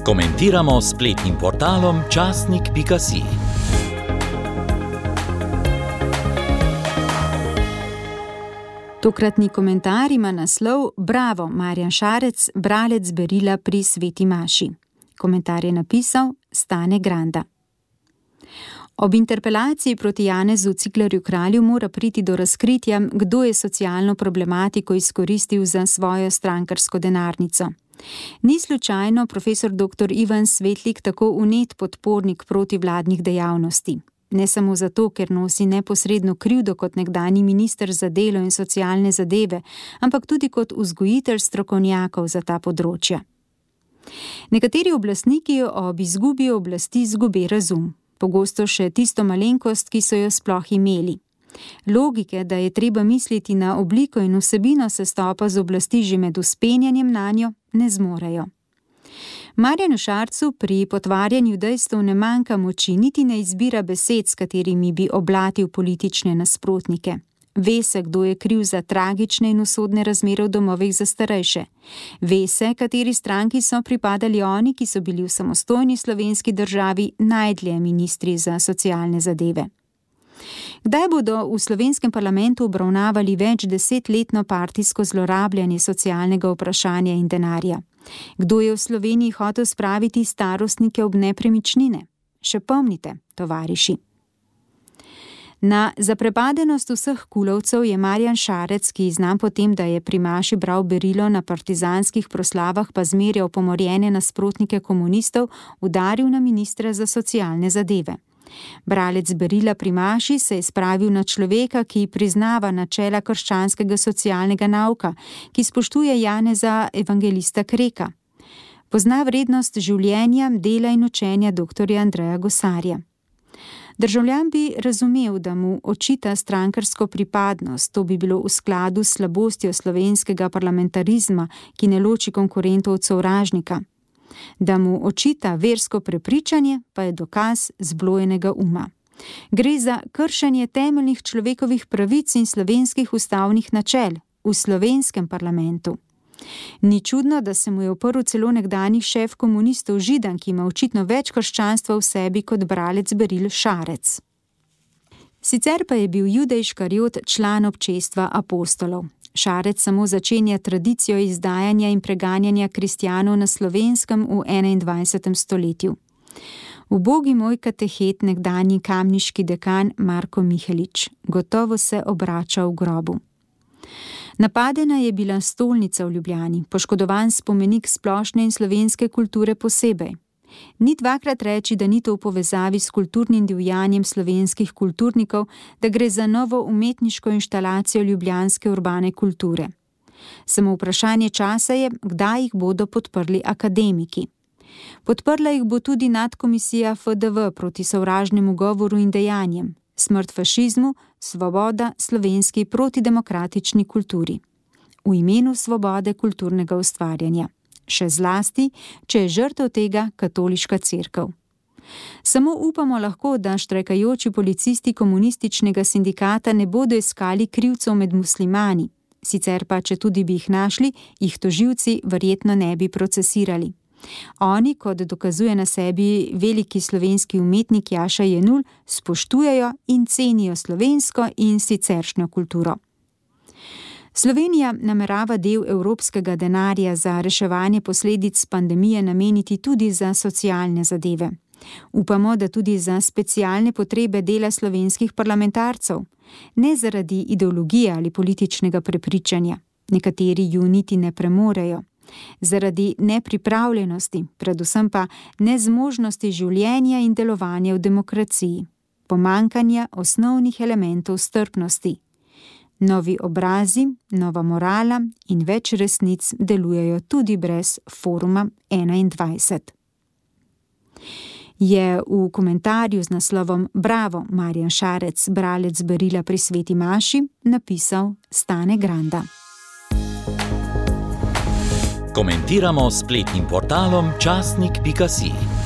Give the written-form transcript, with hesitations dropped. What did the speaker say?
Komentiramo s spletnim portalom časnik.si. Tokratni komentar ima naslov Bravo, Marjan Šarec, bralec berila pri Sveti maši. Komentar je napisal Stane Granda. Ob interpelaciji proti Janezu Ciglerju Kralju mora priti do razkritja, kdo je socialno problematiko izkoristil za svojo strankarsko denarnico. Ni slučajno profesor dr. Ivan Svetlik tako vnet podpornik protivladnih dejavnosti. Ne samo zato, ker nosi neposredno krivdo kot nekdanji minister za delo in socialne zadeve, ampak tudi kot vzgojitelj strokovnjakov za ta področja. Nekateri oblastniki ob izgubi oblasti izgubi razum, pogosto še tisto malenkost, ki so jo sploh imeli. Logike, da je treba misliti na obliko in vsebino sestopa z oblasti že med vzpenjanjem nanjo, ne zmorejo. Marjanu Šarcu pri potvarjanju dejstev ne manjka moči, niti ne izbira besed, s katerimi bi oblatil politične nasprotnike. Ve se, kdo je kriv za tragične in usodne razmere v domovih za starejše. Ve se, kateri stranki so pripadali oni, ki so bili v samostojni slovenski državi najdlje ministri za socialne zadeve. Kdaj bodo v slovenskem parlamentu obravnavali več desetletno partijsko zlorabljanje socialnega vprašanja in denarja? Kdo je v Sloveniji hotel spraviti starostnike ob nepremičnine? Še pomnite, tovariši. Na zaprepadenost vseh kulovcev je Marjan Šarec, ki znan po tem, da je pri maši bral berilo na partizanskih proslavah pa zmerjal pomorjene nasprotnike komunistov, udaril na ministra za socialne zadeve. Bralec berila pri maši se je spravil na človeka, ki priznava načela krščanskega socialnega nauka, ki spoštuje Janeza evangelista Kreka. Pozna vrednost življenja, dela in učenja dr. Andreja Gosarja. Državljan bi razumel, da mu očita strankarsko pripadnost, to bi bilo v skladu s slabostjo slovenskega parlamentarizma, ki ne loči konkurentov od sovražnika. Da mu očita versko prepričanje, pa je dokaz zblojenega uma. Gre za kršenje temeljnih človekovih pravic in slovenskih ustavnih načel v slovenskem parlamentu. Ni čudno, da se mu je uprl celo nekdanji šef komunistov Židan, ki ima očitno več krščanstva v sebi kot bralec beril Šarec. Sicer pa je bil Judej Škarjot član občestva apostolov. Šarec samo začenja tradicijo izdajanja in preganjanja kristjanov na Slovenskem v 21. stoletju. Ubogi moj katehet, nekdanji kamniški dekan Marko Mihelič, gotovo se obrača v grobu. Napadena je bila stolnica v Ljubljani, poškodovan spomenik splošne in slovenske kulture posebej. Ni dvakrat reči, da ni to v povezavi s kulturnim divjanjem slovenskih kulturnikov, da gre za novo umetniško inštalacijo ljubljanske urbane kulture. Samo vprašanje časa je, kdaj jih bodo podprli akademiki. Podprla jih bo tudi nadkomisija FDV proti sovražnemu govoru in dejanjem, smrt fašizmu, svoboda slovenski protidemokratični kulturi. V imenu svobode kulturnega ustvarjanja. Še zlasti, če je žrtev tega katoliška cerkev. Samo upamo lahko, da štrajkajoči policisti komunističnega sindikata ne bodo iskali krivcev med muslimani, sicer pa, če tudi bi jih našli, jih tožilci verjetno ne bi procesirali. Oni, kot dokazuje na sebi veliki slovenski umetnik Jaša Jenull, spoštujejo in cenijo slovensko in siceršnjo kulturo. Slovenija namerava del evropskega denarja za reševanje posledic pandemije nameniti tudi za socialne zadeve. Upamo, da tudi za specialne potrebe dela slovenskih parlamentarcev, ne zaradi ideologije ali političnega prepričanja, nekateri ju niti ne premorejo, zaradi nepripravljenosti, predvsem pa nezmožnosti življenja in delovanja v demokraciji, pomanjkanja osnovnih elementov strpnosti. Novi obrazi, nova morala in več resnic delujejo tudi brez Foruma 21. Je v komentarju z naslovom Bravo, Marjan Šarec, bralec berila pri Sveti maši, napisal Stane Granda. Komentiramo s spletnim portalom časnik.si.